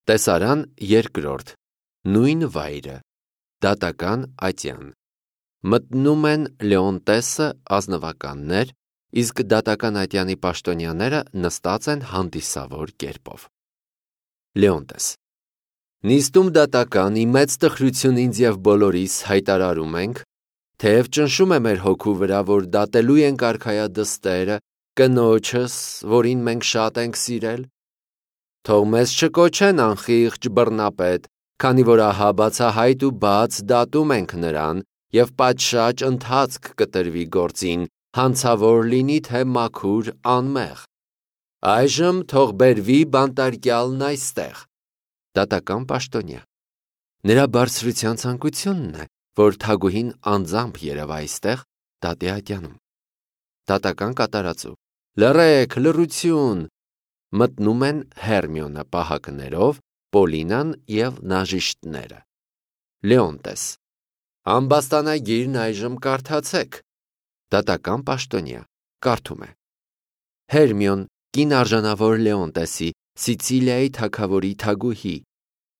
Տեսարան երկրորդ, նույն վայրը, դատական ատյան։ Մտնում են Լեոնտեսը ազնվականներ, իսկ դատական ատյանի պաշտոնյաները նստած են հանդիսավոր կերպով։ Լեոնտես. Նիստում դատականի մեծ տխրություն ինձ և բոլորիս հայտարարում ենք, թեև ճնշում է մեր հոգու վրա, որ դատելու ենք արքայադստերը, կնոջս, որին մենք շատ ենք սիրել, թող մեզ չկոչեն անխիղճ բռնապետ, քանի որ ահա բացահայտ ու բաց դատում ենք նրան և պատշաճ ընթացք կտրվի գործին, հանցավոր լինի թե մաքուր անմեղ։ Այժմ թող բերվի բանտարկյալն այստեղ։ Դատական պաշտոնյա. նրա բարձրության ցանկությունն է, որ թագուհին անձամբ երևա այստեղ դատի ատյանում։ Դատական կատարածու. լռեք, լռություն։ Մտնում են Հերմիոնը պահակներով, Պոլինան և նաժիշտները։ Լեոնտես. ամբաստանագիրն այժմ կարդացեք։ Դատական պաշտոնյա կարդում է. Հերմիոն, կին արժանավոր Լեոնտեսի, Սիցիլիայի թագավորի թագուհի,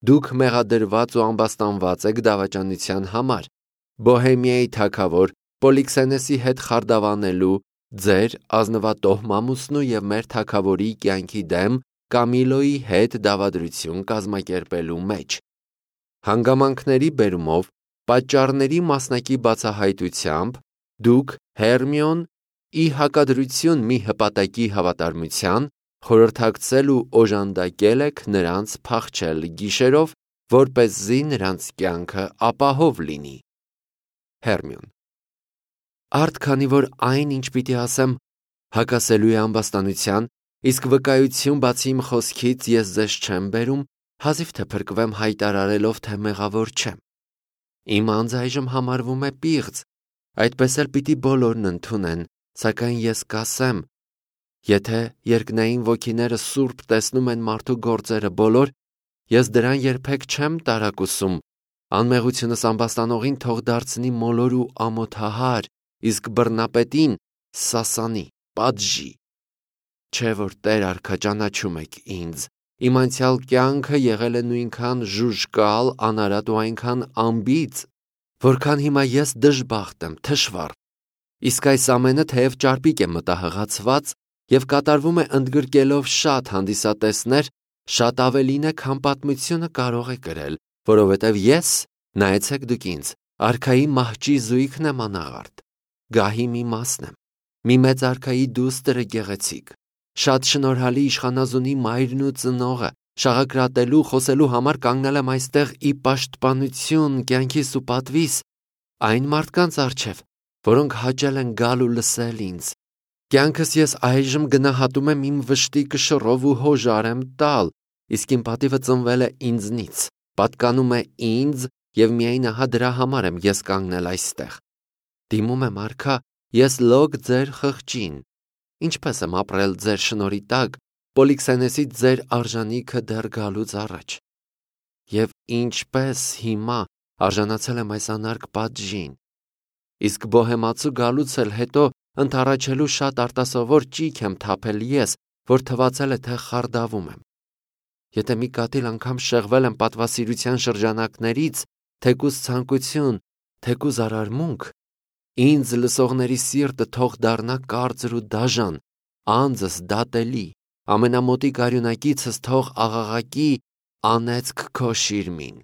դուք մեղադրված ու ամբաստանված եք դավաճանության համար, Բոհեմիայի թագավոր Պոլիքսենեսի հետ խարդավանելու, ձեր ազնվատոհ մամուսնու և մեր թագավորի կյանքի դեմ Կամիլոյի հետ դավադրություն կազմակերպելու մեջ։ Հանգամանքների բերումով, պատճառների մասնակի բացահայտությամբ, դուք, Հերմիոն, ի հակադրություն մի հպատակի հավատարմության, խորհրդակցել ու օժանդակել եք նրանց փախչել գիշերով, որպեսզի նրանց կյանքը ապահով լինի։ Հերմիոն. Արդ քանի որ այն, ինչ պիտի ասեմ, հակասելու է ամբաստանության, իսկ վկայություն բացի իմ խոսքից ես ձեզ չեմ բերում, հազիվ թե փրկվեմ հայտարարելով, թե մեղավոր չեմ։ Իմ անձը այժմ համարվում է պիղծ, այդպես էլ պիտի բոլորն ընդունեն, սակայն ես կասեմ, եթե երկնային ոգիները սուրբ տեսնում են մարդու գործերը բոլոր, ես դրան երբեք չեմ տարակուսում, անմեղությունս ամբաստանողին թող դարձնի մոլոր ու ամոթահար, իսկ բռնապետին սասանի, պատժի։ Չէ որ Տեր արքա ճանաչում եք ինձ, իմ անցյալ կյանքը եղել է նույնքան ժուժկալ, անարատ ու այնքան անբիծ, որքան հիմա ես դժբախտ եմ, թշվառ, իսկ այս ամենը թեև ճարպիկ է մտահղացված և կատարվում է ընդգրկելով շատ հանդիսատեսներ, շատ ավելին է, քան պատմությունը կարող է կրել, որովհետև ես, նայեցեք դուք ինձ, արքայի մահճի զույգն եմ անաղարտ, գահի մի մասն եմ, մի մեծ արքայի դուստրը գեղեցիկ, շատ շնորհալի իշխանազունի մայրն ու ծնողը, շաղակրատելու, խոսելու համար կանգնել եմ այստեղ ի պաշտպանություն կյանքիս ու պատվիս այն մարդկանց առջև, որոնք հաճել են գալ ու լսել ինձ։ Կյանքս ես այժմ գնահատում եմ իմ վշտի կշռով ու հոժար եմ տալ, իսկ իմ պատիվը ծնվել է ինձնից, պատկանում է ինձ և միայն ահա դրա համար եմ ես կանգնել այստեղ։ Դիմում եմ արքա, ես լոկ ձեր խղճին, ինչպես եմ ապրել ձեր շնորհի տակ, Պոլիքսենեսի ձեր արժանիքը դեռ գալուց առաջ, և ինչպես հիմա արժանացել եմ այս անարգ պատժին, իսկ բոհեմացու գալուց էլ հետո ընդառաջելու շատ արտասովոր ճիգ եմ թափել ես, որ թվացել է, թե խարդավում եմ։ Եթե մի կաթիլ անգամ շեղվել եմ պատվասիրության շրջանակներից, թեկուզ ցանկություն, թեկուզ արարմունք, ինձ լսողների սիրտը թող դառնա կարծր ու դաժան, անձս դատելի, ամենամոտիկ արյունակիցս թող աղաղակի անեծք քո շիրմին։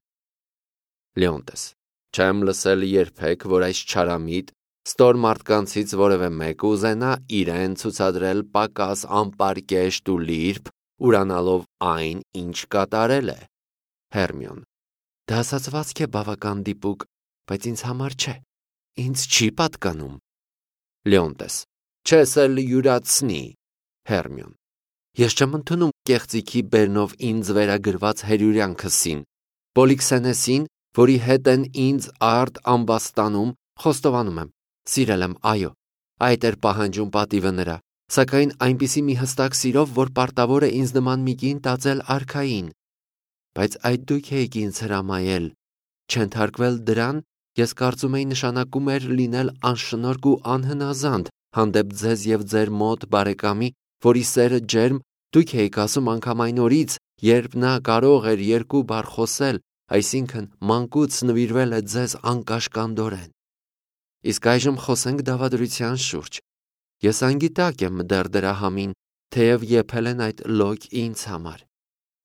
Լեոնտես. Չեմ լսել երբեք, որ այս չարամիտ ստոր մարդկանցից որևէ մեկը ուզենա իրեն ցուցադրել պակաս անպարկեշտ ու լիրբ, ուրանալով այն, ինչ կատարել է։ Հերմիոն. դա ասացվածք է բավական դիպուկ, բայց ինձ համար չէ, ինձ չի պատկանում։ Լեոնտես. չես էլ յուրացնի։ Հերմիոն. ես չեմ ընդունում կեղծիքի բերնով ինձ վերագրված հերյուրյանքսին, Պոլիքսենեսին, որի հետ են ինձ արդ ամբաստանում, խոստովանում եմ, սիրել եմ, այո, այդ էր պահանջում պատիվը նրա, սակայն այնպիսի մի հստակ սիրով, որ պարտավոր է ինձ նման մի կին տածել արքային, բայց այդ դուք էիք ինձ հրամայել, չենթարկվել դրան, ես կարծում էի նշանակում էր լինել անշնորհք ու անհնազանդ հանդեպ ձեզ և ձեր մոտ բարեկամի, որի սերը ջերմ դուք էիք ասում անգամ այն օրից, երբ նա կարող էր երկու բառ խոսել, այսինքն մանկուց նվիրվել է ձեզ անկաշկանդորեն։ Իսկ այժմ խոսենք դավադրության շուրջ։ Ես անգիտակ եմ դեռ դրա համին, թեև եփել են այդ լոկ ինձ համար։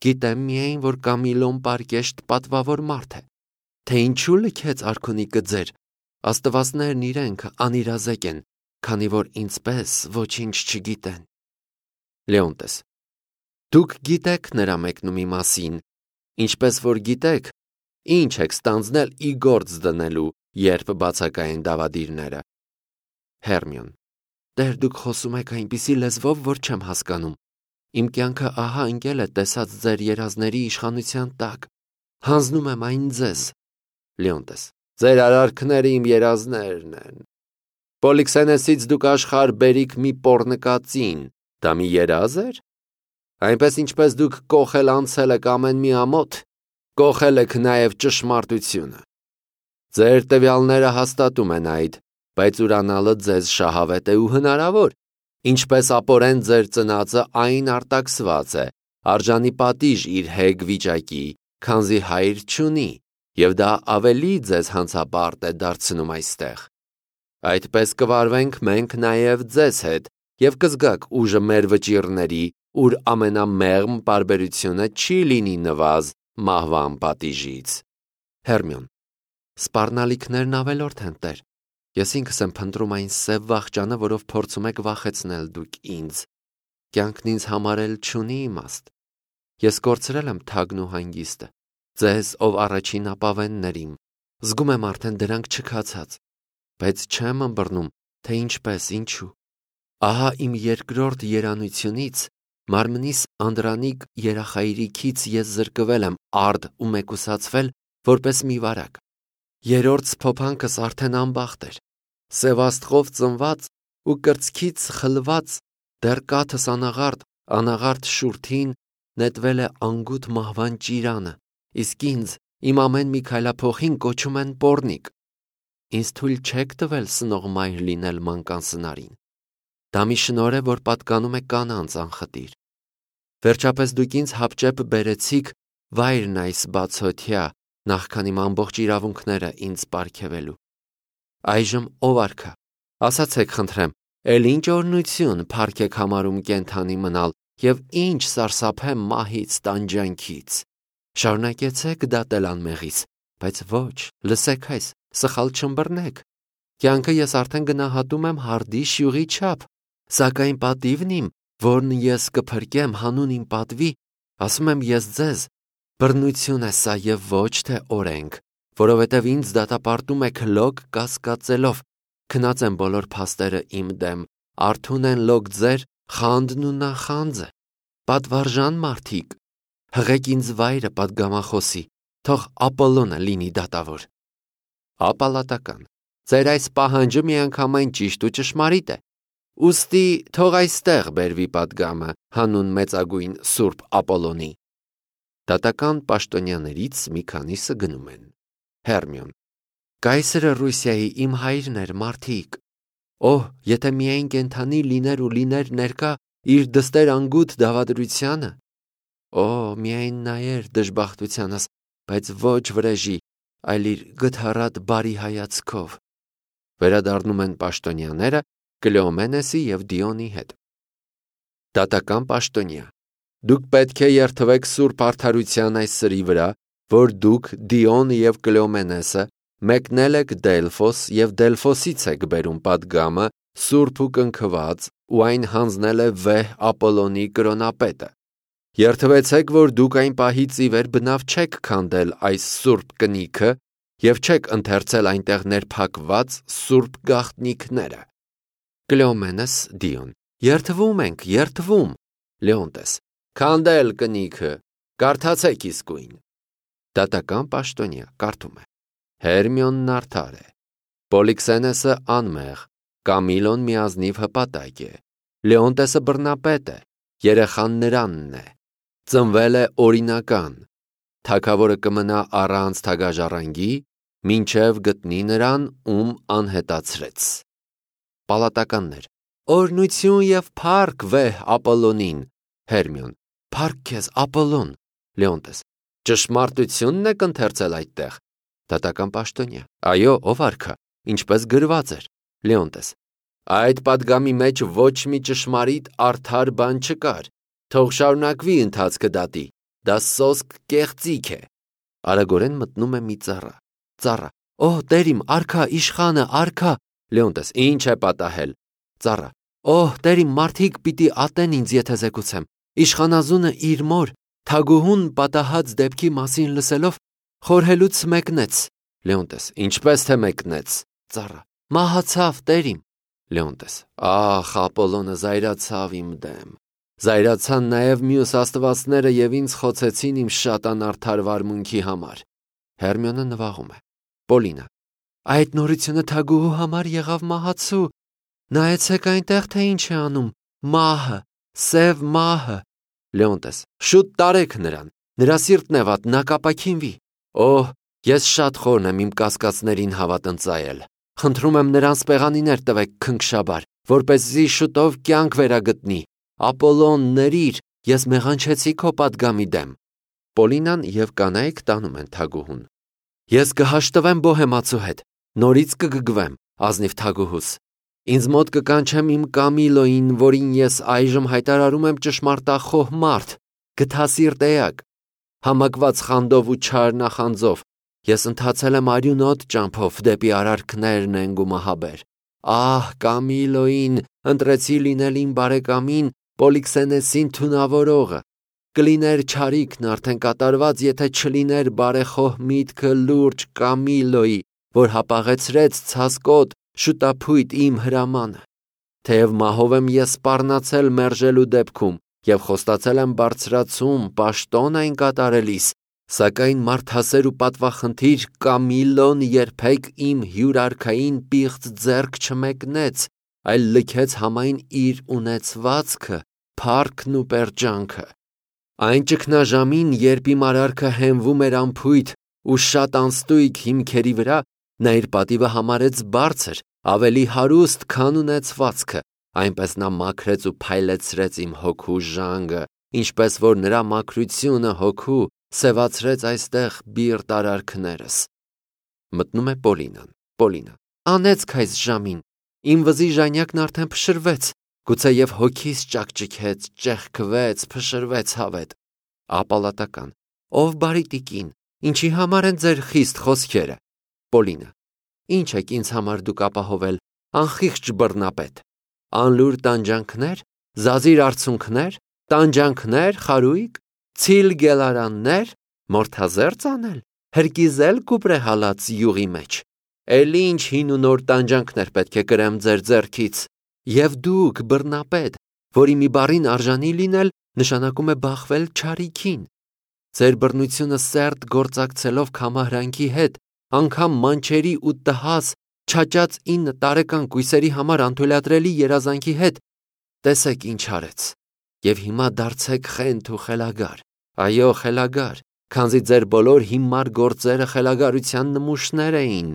Գիտեմ միայն, որ Կամիլոն պարկեշտ պատվավոր մարդ է, թե ինչու լքեց արքունիկը ձեր, աստվածներն իրենք անիրազեկ են, քանի որ ինձպես ոչինչ չգիտեն։ Լեոնտես. Դուք գիտեք նրա մեկնումի մասին, ինչպես որ գիտեք, ինչ եք ստանձնել ի գործ դնելու, երբ բացակայեն դավադիրները։ Հերմիոն. Տեր դուք խոսում եք այնպիսի լեզվով, որ չեմ հասկանում։ Իմ կյանքը ահա ընկել է տեսած ձեր երազների իշխանության տակ։ Հանձնում եմ այն ձեզ։ Լեոնտես. Ձեր արարքները իմ երազներն են։ Պոլիքսենեսից դուք աշխարհ բերիք մի պոռնկածին, դա մի երազ էր։ Այնպես ինչպես դուք կոխել անցել եք ամեն մի ամոթ, կոխել եք նաև ճշմարտությունը։ Ձեր տվյալները հաստատում են այդ, բայց ուրանալը ձեզ շահավետ է ու հնարավոր, ինչպես ապորեն ձեր ծնածը այն արտաքսված է, արժանի պատիժ իր հեգ վիճակի, քանզի հայր չունի, և դա ավելի ձեզ հանցապարտ է դարձնում այստեղ։ Այդպես կվարվենք մենք նաև ձեզ հետ և կզգաք ուժը մեր վճիռների, ուր ամենամեղմ պարբերությունը չի լինի նվազ մահվան պատիժից։ Հերմիոն. Սպառնալիքներն ավելորդ են, Տեր։ Ես ինքս եմ փնտրում այն սև վախճանը, որով փորձում եք վախեցնել դուք ինձ։ Կյանքն ինձ համարել չունի իմաստ։ Ես կորցրել եմ թագն ու հանգիստը, ձեզ, ով առաջին ապավեններ իմ, զգում եմ արդեն դրանք չքացած, բայց չեմ ըմբռնում, թե ինչպես, ինչու։ Ահա իմ երկրորդ երանությունից, մարմնիս անդրանիկ երախայրիքից ես զրկվել եմ արդ ու մեկուսացվել որպես մի վարակ։ Երրորդ սփոփանքս արդեն անբախտ էր, սևաստղով ծնված ու կրծքից խլված, դեռ կաթս անաղարտ շուրթին նետվել է անգութ մահվան ճիրանը, իսկ ինձ իմ ամեն մի քայլափոխին կոչում են պոռնիկ։ Ինձ թույլ չեք տվել սնող մայր լինել մանկան սնարին։ Դա մի շնորհ է, որ պատկանում է կանանց անխտիր։ Վերջապես դուք ինձ հապճեպ բերեցիք վայրն այս բացօթյա, նախքան իմ ամբողջ իրավունքները ինձ պարգևելու։ Այժմ ով արքա, ասացեք խնդրեմ, էլ ինչ օրհնություն փառք եք համարում կենդանի մնալ և ինչ սարսափեմ մահից տանջանքից։ Շարունակեցեք դատել անմեղից, բայց ոչ, լսեք այս, սխալ չըմբռնեք։ Կյանքը ես արդեն գնահատում եմ հարդի շյուղի չափ, սակայն պատիվն իմ, որն ես կփրկեմ հանուն իմ պատվի, ասում եմ ես ձեզ, բռնություն է սա և ոչ թե օրենք, որովհետև ինձ դատապարտում եք լոկ կասկածելով, քնած են բոլոր փաստերը իմ դեմ, արթուն են լոկ ձեր խանդն ու նախանձը, պատվարժան մարդիկ, հղեք ինձ վայրը պատգամախոսի, թող Ապոլոնը լինի դատավոր։ Ապալատական, ձեր այս պահանջը միանգամայն ճիշտ ու ճշմարիտ է, ուստի թող այստեղ բերվի պատգամը հանուն մեծագույն Սուրբ Ապոլոնի։ Դատական պաշտոնյաներից մի քանիսը գնում են։ Հերմիոն. Կայսրը Ռուսիայի իմ հայրն էր, մարդիկ։ Օհ, եթե միայն կենդանի լիներ ու լիներ ներկա իր դստեր անգութ դավադրությանը։ Օ, միայն նայեր դժբախտությանս, բայց ոչ վրեժի, այլ իր գթառատ բարի հայացքով։ Վերադառնում են պաշտոնյաները Կլեոմենեսի և Դիոնի հետ։ Դատական պաշտոնյա. Դուք պետք է երթվեք սուրբ արդարության այս սրի վրա, որ դուք Դիոն և Կլեոմենեսը մեկնել եք Դելֆոս և Դելֆոսից եք բերում պատգամը սուրբ ու կնքված ու այն հանձնել է վեհ Ապոլոնի կրոնապետը։ Երթվեցեք, որ դուք այն պահից ի վեր բնավ չեք քանդել այս սուրբ կնիքը և չեք ընթերցել այնտեղ ներփակված սուրբ գաղտնիքները։ Կլեոմենես Դիոն. Երթվում ենք, երթվում։ Լեոնտես. Քանդել կնիքը, կարդացեք իսկույն։ Դատական պաշտոնյա կարդում է. Հերմիոնն արդար է, Պոլիքսենեսը անմեղ, Կամիլոն միազնիվ հպատակ է, Լեոնտեսը բռնապետ է, երեխան նրանն է, ծնվել է օրինական, թագավորը կմնա առանց թագաժառանգի, մինչև գտնի նրան, ում անհետացրեց։ Պալատականներ. Օրհնություն և փառք վեհ Ապոլոնին։ Հերմիոն. Փառք քեզ Ապոլոն, Լեոնտես. Ճշմարտությունն եք ընթերցել այդտեղ։ Դատական պաշտոնյա. Այո, ով արքա, ինչպես գրված էր։ Լեոնտես. այդ պատգամի մեջ ոչ մի ճշմարիտ արդար բան չկար։ Թող շարունակվի ընթացքը դատի։ Դա սոսկ կեղծիք է։ Արագորեն մտնում է մի ծառա։ Օ, տեր իմ, արքա, իշխանը, արքա։ Լեոնտես. ինչ է պատահել։ Ծառա. Օ, տեր իմ, մարդիկ պիտի ատեն ինձ, եթե զեկուցեմ։ Իշխանազունը իր մոր թագուհուն պատահած դեպքի մասին լսելով խորհելուց մեկնեց։ Լեոնտես. ինչպես թե մեկնեց։ Ծառա. մահացավ, տեր իմ։ Լեոնտես. ախ, Ապոլոնը զայրացավ իմ դեմ։ Զայրացան նաև մյուս աստվածները և ինձ խոցեցին իմ շատ անարդար վարմունքի համար։ Հերմիոնը նվաղում է։ Պոլինա. այդ նորությունը թագուհու համար եղավ մահացու։ Նայեցեք այնտեղ, թե ինչ է անում։ Մահը, սև մահը։ Լեոնտես. շուտ տարեք նրան։ Նրա սիրտն է վատ, նա կապաքինվի։ Օհ, ես շատ խորն եմ իմ կասկածներին հավատ ընծայել։ Խնդրում եմ նրան սպեղանիներ տվեք քնքշաբար, որպեսզի շուտով կյանք վերագտնի։ Ապոլոն, ների՛ր, ես մեղանչեցի քո պատգամի դեմ։ Պոլինան և կանայք տանում են թագուհուն։ Ես կհաշտվեմ բոհեմացու հետ, նորից կգգվեմ, ազնիվ թագուհուս։ Ինձ մոտ կկանչեմ իմ Կամիլոյին, որին ես այժմ հայտարարում եմ ճշմարտախոհ մարդ, գթասիրտ էակ։ Համակված խանդով ու չար նախանձով ես ընթացել եմ արյունոտ ճամփով դեպի արարքներ նենգ ու մահաբեր։ Ահ, Կամիլոյին ընտրեցի լինել իմ բարեկամին Պոլիքսենեսին թունավորողը։ Կլիներ չարիքն արդեն կատարված, եթե չլիներ բարեխոհ միտքը լուրջ Կամիլոյի, որ հապաղեցրեց ցասկոտ շուտափույթ իմ հրամանը։ Թեև մահով եմ ես սպառնացել մերժելու դեպքում և խոստացել եմ բարձրացում պաշտոն այն կատարելիս, սակայն մարդասեր ու պատվախնդիր Կամիլոն երբեք իմ հյուրարքային պիղծ ձեռք չմեկնեց, այլ լքեց համայն իր ունեցվածքը, փառքն ու պերճանքը։ Այն ճգնաժամին, երբ իմ արարքը հենվում էր անփույթ ու շատ անստույգ հիմքերի վրա, նա իր պատիվը համարեց բարձր, ավելի հարուստ, քան ունեցվածքը, այնպես նա մաքրեց ու փայլեցրեց իմ հոգու ժանգը, ինչպես որ նրա մաքրությունը հոգու սևացրեց այստեղ բիրտ արարքներս։ Մտնում է Պոլինան։ Պոլինա. անեցք այս ժամին, իմ վզի ժանյակն արդեն փշրվեց, գուցեև հոգիս ճաքճքեց, ճեղքվեց, փշրվեց հավետ։ Ապալատական. ով բարի տիկին, ինչի համար են ձեր խիստ խոսքերը։ Պոլինա. ինչ եք ինձ համար դուք ապահովել, անխիղճ բռնապետ։ Անլուր տանջանքներ, զազիր արցունքներ, տանջանքներ, խարույկ, ցիլ գելարաններ, մորթազերծ անել, հրկիզել կուպրե հալած յուղի մեջ։ Էլի ինչ հին ու նոր տանջանքներ պետք է կրեմ ձեր ձեռքից։ Եվ դուք, բռնապետ, որի մի բառին արժանի լինել, նշանակում է բախվել չարիքին։ Ձեր բռնությունը սերտ գործակցելով քամահրանքի հետ, անգամ մանչերի ու տհաս, չաճած 9 տարեկան կույսերի համար անթույլատրելի երազանքի հետ, տեսեք ինչ արեց։ Եվ հիմա դարձեք խենթ ու խելագար։ Այո, խելագար, քանզի ձեր բոլոր հիմար գործերը խելագարության նմուշներ էին։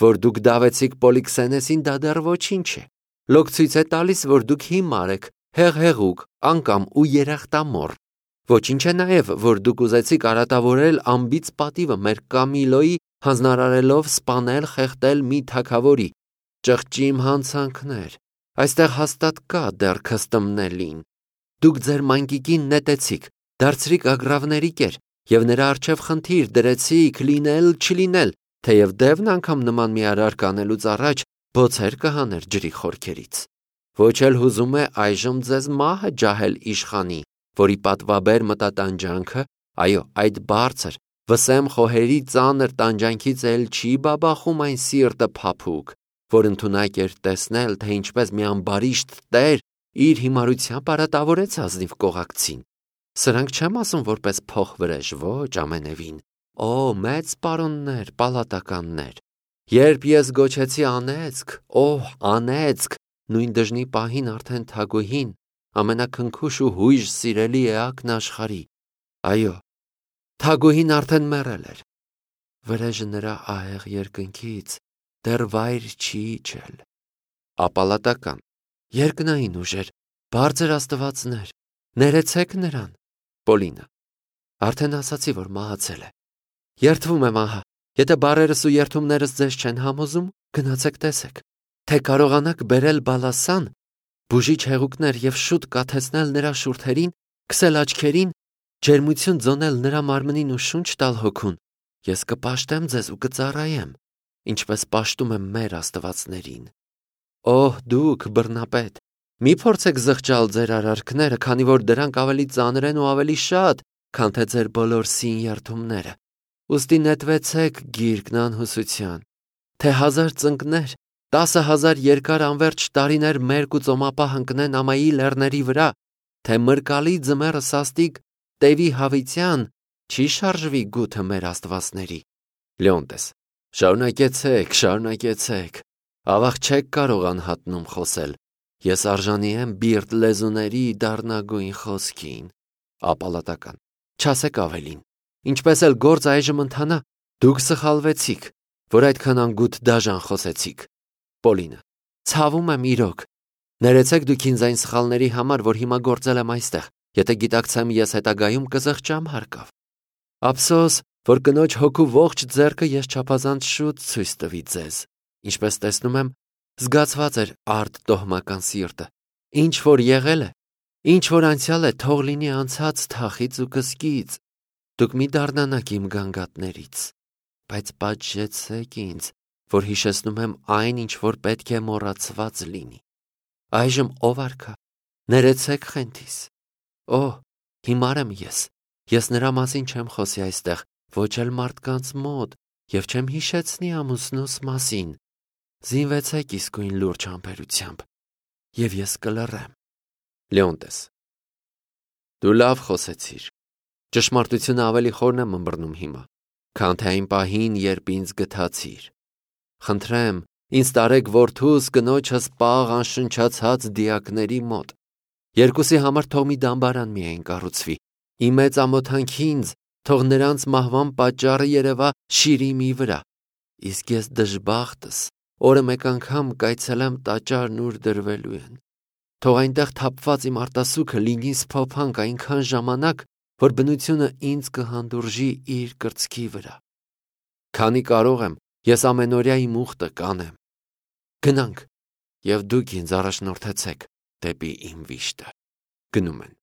Որ դուք դավեցիք Պոլիքսենեսին, դա դեռ ոչինչ է։ Լոկ ցույց է տալիս, որ դուք հիմար եք, հեղհեղուկ, անկամ ու երախտամոռ։ Ոչինչ է նաև, որ դուք ուզեցիք արատավորել անբիծ պատիվը մեր Կամիլոյի, հանձնարարելով սպանել, խեղդել մի թագավորի։ Ճղճիմ հանցանքներ, այստեղ հաստատ կա դեռ քստմնելին։ Դուք ձեր մանկիկին նետեցիք, դարձրիք ագռավների կեր, և նրա առջև խնդիր դրեցիք լինել չլինել, թեև դևն անգամ նման մի արարք անելուց առաջ բոցեր կհաներ ջրի խորքերից։ Ոչ էլ հուզում է այժմ ձեզ մահը ջահել իշխանի, որի պատվաբեր մտատանջանքը, այո, այդ բարձր, վսեմ խոհերի ծանր տանջանքից էլ չի բաբախում այն սիրտը փափուկ, որ ընդունակ էր տեսնել, թե ինչպես մի ամբարիշտ տեր իր հիմարությամբ արատավորեց ազնիվ կողակցին։ Սրանք չեմ ասում որպես փոխվրեժ, ոչ ամենևին։ Օ, մեծ պարոններ, պալատականներ, երբ ես գոչեցի անեծք, օհ, անեծք, նույն դժնի պահին արդեն թագուհին, ամենաքնքուշ ու հույժ սիրելի էակն աշխարհի, այո, թագուհին արդեն մեռել էր։ Վրեժը նրա ահեղ երկնքից դեռ վայր չի իջել։ Ապալատական. երկնային ուժեր, բարձր աստվածներ, ներեցեք նրան։ Պոլինա. Արդեն ասացի, որ մահացել է։ Երդվում եմ ահա, եթե բարերս ու երդումներս ձեզ չեն համոզում, գնացեք տեսեք, թե կարողանաք բերել բալասան, բուժիչ հեղուկներ եւ շուտ կաթեցնել նրա շուրթերին, քսել աչքերին, ջերմություն ձոնել նրա մարմնին ու շունչ տալ հոգուն, ես կպաշտեմ ձեզ ու կծառայեմ, ինչպես պաշտում եմ մեր աստվածներին։ Օհ, դուք, բռնապետ, մի փորձեք զղջալ ձեր արարքները, քանի որ դրանք ավելի ծանր են ու ավելի շատ, քան թե ձեր բոլոր սին երդումները։ Ուստի նետվեցեք գիրկն անհուսության, թե 1000 ծնկներ, 10,000 երկար անվերջ տարիներ մերկ ու ծոմապահ ընկնեն ամայի լեռների վրա, թե մրկալի ձմեռը սաստիկ տևի հավիտյան, չի շարժվի գութը մեր աստվածների։ Լեոնտես, շարունակեցեք, ավաղ չեք կարող անհատնում խոսել, ես արժանի եմ բիրտ լեզուների դառնագույն խոսքին։ Ապալատական, չասեք ավելին, ինչպես էլ գործ այժմ ընթանա, դուք սխալվեցիք, որ այդքան անգութ դաժան խոսեցիք։ Պոլինը, ցավում եմ իրոք, ներեցեք դուք ինձ այն սխալների համար, որ հիմա գործել եմ այստեղ, եթե գիտակցեմ ես հետագայում կզղջամ հարկավ։ Ափսոս, որ կնոջ հոգու ողջ ձեռքը ես չափազանց շուտ ցույց տվի ձեզ, ինչպես տեսնում եմ, զգացված էր արդ տոհմական սիրտը, ինչ որ եղել է, ինչ որ անցյալ է, թող լինի անցած թախից ու կսկից, դուք մի դառնանաք իմ գանգատներից, բայց պատժեցեք ինձ, որ հիշեցնում եմ այն, ինչ որ պետք է մոռացված լինի։ Այժմ ով արքա, ներեցեք խենթիս։ Օհ, հիմար եմ ես նրա մասին չեմ խոսի այստեղ, ոչ էլ մարդկանց մոտ, եւ չեմ հիշեցնի ամուսնուս մասին։ Զինվեցեք իսկույն լուրջ համբերությամբ, եւ ես կլռեմ։ Լեոնտես, դու լավ խոսեցիր։ Ճշմարտությունը ավելի խորն եմ ըմբռնում հիմա, քան թե այն պահին, երբ ինձ գթացիր։ Խնդրեմ, ինձ տարեք որդուս կնոջս պաղ անշնչացած դիակների մոտ։ Երկուսի համար թող մի դամբարան միայն կառուցվի։ Իմ մեծ ամոթանքի ինձ թող նրանց մահվան պատճառը երևա շիրիմի վրա։ Իսկ ես դժբախտս, օրը մեկ անգամ կայցելեմ տաճարն ուր դրվելու են։ Թող այնտեղ թափված իմ արտասուքը լինի սփոփանք այնքան ժամանակ, որ բնությունը ինձ կհանդուրժի իր կրծքի վրա։ Քանի կարող եմ, ես ամենօրյա իմ ուխտը կանեմ։ Գնանք, եւ դուք ինձ առաջնորդեցեք դեպի իմ վիշտը։ Գնում են։